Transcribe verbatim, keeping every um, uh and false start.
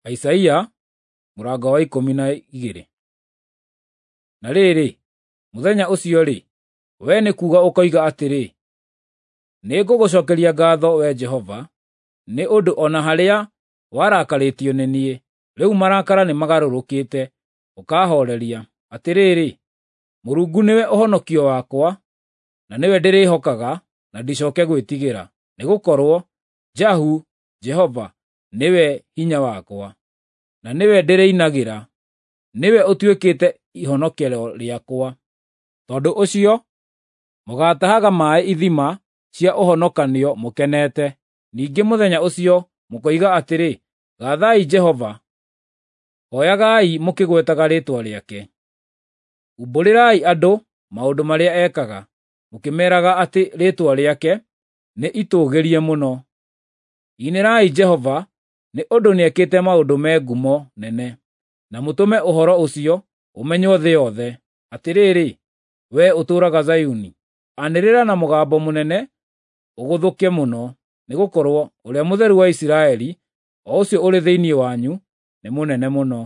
Isaia mũrango wa ikũmi na igĩrĩ. Na rĩrĩ, mũthenya ũcio-rĩ, wee nĩ kuuga ũkoiga atĩrĩ, “Nĩngũgũcookeria ngaatho, Wee Jehova, nĩ ũndũ o na harĩa warakarĩtio nĩ niĩ, rĩu marakara nĩmagarũrũkĩte, ũkaahooreria. Atĩrĩrĩ, Mũrungu nĩwe ũhonokio wakwa, na nĩwe ndĩrĩĩhokaga na ndicooke gwĩtigĩra, nĩgũkorwo Jahu, Jehova, nĩwe hinya wakwa, na nĩwe ndĩrĩinagĩra, nĩwe ũtuĩkĩte ihonokero rĩakwa. Tondũ ũcio mũgaatahaga maaĩ ithima cia ũhonokanio mũkenete. Ningĩ mũthenya ũcio mũkoiga atĩrĩ, ‘Gaathai Jehova, hooyagai mũkĩgwetaga rĩĩtwa rĩake. Umbũrĩrai andũ maũndũ marĩa ekaga, mũkĩmeeraga atĩ rĩĩtwa rĩake nĩ itũũgĩrie mũno. Inĩrai Jehova nĩ ũndũ nĩekĩte maũndũ me ngumo nene, na mũtũme ũhoro ũcio ũmenywo thĩ yothe. Atĩrĩrĩ, wee ũtũũraga Zayuni, anĩrĩra na mũgambo mũnene ũgũthũke mũno, nĩgũkorwo Ũrĩa Mũtheru wa Isiraeli, o ũcio ũrĩ thĩinĩ wanyu, nĩ mũnene mũno.”